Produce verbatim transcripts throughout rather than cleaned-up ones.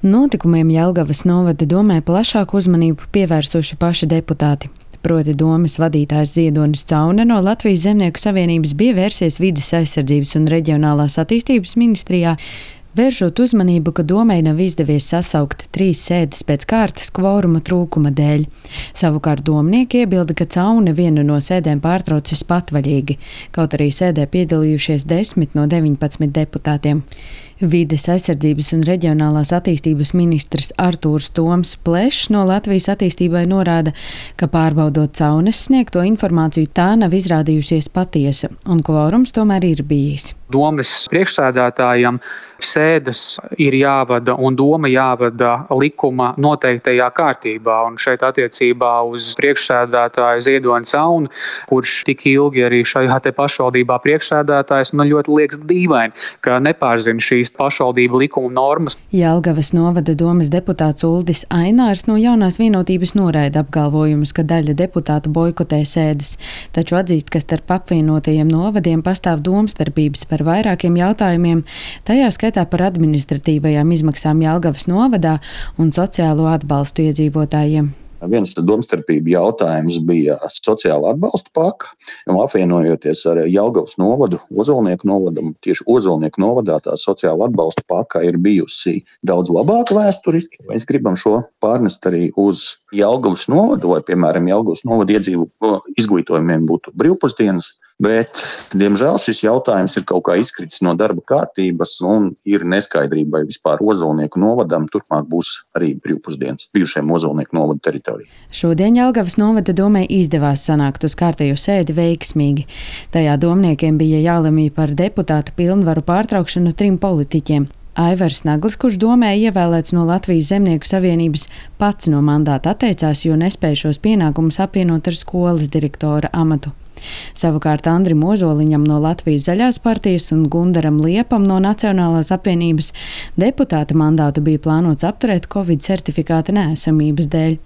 Notikumiem Jelgavas novada domē plašāku uzmanību pievērsuši paši deputāti. Proti domes vadītājs Ziedonis Caune no Latvijas Zemnieku savienības bija vērsies Vides aizsardzības un reģionālās attīstības ministrijā, vēršot uzmanību, ka domei nav izdevies sasaukt trīs sēdes pēc kārtas kvoruma trūkuma dēļ. Savukārt domnieki iebilda, ka Caune vienu no sēdēm pārtraucis patvaļīgi, kaut arī sēdē piedalījušies desmit no deviņpadsmit deputātiem. Vides aizsardzības un reģionālās attīstības ministrs Artūrs Toms Plešs no Latvijas attīstībai norāda, ka pārbaudot Caunes sniegto informāciju, tā nav izrādījusies patiesa, un kvorums tomēr ir bijis. Domes priekšsēdētājam sēdes ir jāvada un doma jāvada likuma noteiktajā kārtībā. Un šeit attiecībā uz priekšsēdētāju Ziedoni Cauni, kurš tik ilgi arī šajā te pašvaldībā priekšsēdētājs, nu ļoti liekas dīvaini, ka nepārzina šīs pašvaldību likuma normas. Jelgavas novada domes deputāts Uldis Ainārs no Jaunās vienotības noraida apgalvojumus, ka daļa deputātu boikotē sēdes, taču atzīst, ka starp apvienotajiem novadiem pastāv domstarpības par vairākiem jautājumiem, tajā skaitā par administratīvajām izmaksām Jelgavas novadā un sociālo atbalstu iedzīvotājiem. Viens domstarpību jautājums bija sociāla atbalsta paka, un apvienojoties ar Jelgavas novadu, Ozolnieku novadam, tieši Ozolnieku novadā tā sociāla atbalsta paka ir bijusi daudz labāka vēsturiski. Mēs gribam šo pārnest arī uz Jelgavas novadu, vai, piemēram, Jelgavas novada iedzīvu izglītojumiem būtu brīvpusdienas, bet, diemžēl, šis jautājums ir kaut kā izkritis no darba kārtības un ir neskaidrība, vai vispār Ozolnieku novadam turpmāk būs arī brīvpusdienas bijušajiem Ozolnieku novada teritorijā. Šodien Jelgavas novada domē izdevās sanākt uz kārtējo sēdi veiksmīgi. Tajā domniekiem bija jālemj par deputātu pilnvaru pārtraukšanu trim politiķiem. Aivars Naglis, kurš domē ievēlēts no Latvijas Zemnieku savienības, pats no mandāta atteicās, jo nespēja šos pienākumus apvienot ar skolas direktora amatu. Savukārt Andrim Ozoliņam no Latvijas zaļās partijas un Gundaram Liepam no Nacionālās apvienības deputāta mandātu bija plānots apturēt Covid certifikāta neesamības dēļ.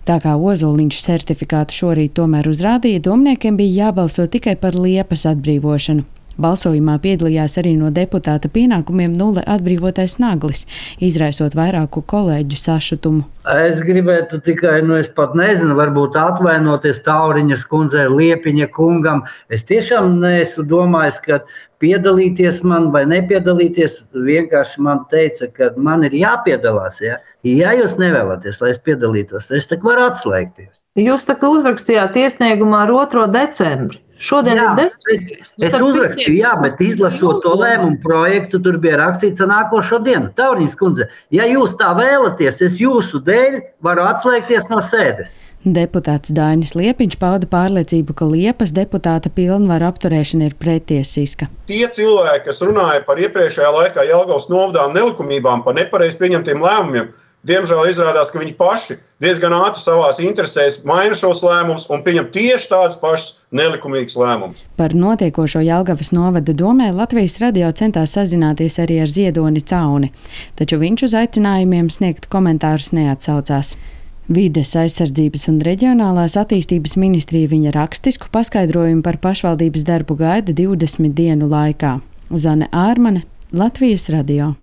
Tā kā Ozoliņš certifikātu šorīt tomēr uzrādīja, domniekiem bija jābalso tikai par Liepas atbrīvošanu. Balsojumā piedalījās arī no deputāta pienākumiem nulle atbrīvotais Naglis, izraisot vairāku kolēģu sašutumu. Es gribētu tikai, nu es pat nezinu, varbūt atvainoties Tauriņas kundzei, Liepiņa kungam. Es tiešām neesmu domājis, ka piedalīties man vai nepiedalīties, vienkārši man teica, ka man ir jāpiedalās. Ja, ja jūs nevēlaties, lai es piedalītos, es tak varu atslēgties. Jūs tā kā uzrakstījāt iesniegumā ar otro decembri. Šodien jā, ir desmitais. Es uzrakstīju, jā, bet izlasot to lēmumu projektu, tur bija rakstīts ar nākošo dienu. Tauriņas kundze, ja jūs tā vēlaties, es jūsu dēļ varu atslēgties no sēdes. Deputāts Dainis Liepiņš pauda pārliecību, ka Liepas deputāta pilnvaru apturēšana ir pretiesiska. Tie cilvēki, kas runāja par iepriekšējā laikā Jelgavas novadā nelikumībām, par nepareizi pieņemtiem lēmumiem, diemžēl izrādās, ka viņi paši diezgan ātri savās interesēs maina šos lēmumus un pieņem tieši tādus pašus nelikumīgus lēmumus. Par notiekošo Jelgavas novada domē Latvijas radio centās sazināties arī ar Ziedoni Cauni, taču viņš uz aicinājumiem sniegt komentārus neatsaucās. Vides aizsardzības un reģionālās attīstības ministrija viņa rakstisku paskaidrojumu par pašvaldības darbu gaida divdesmit dienu laikā. Zane Ārmane, Latvijas radio.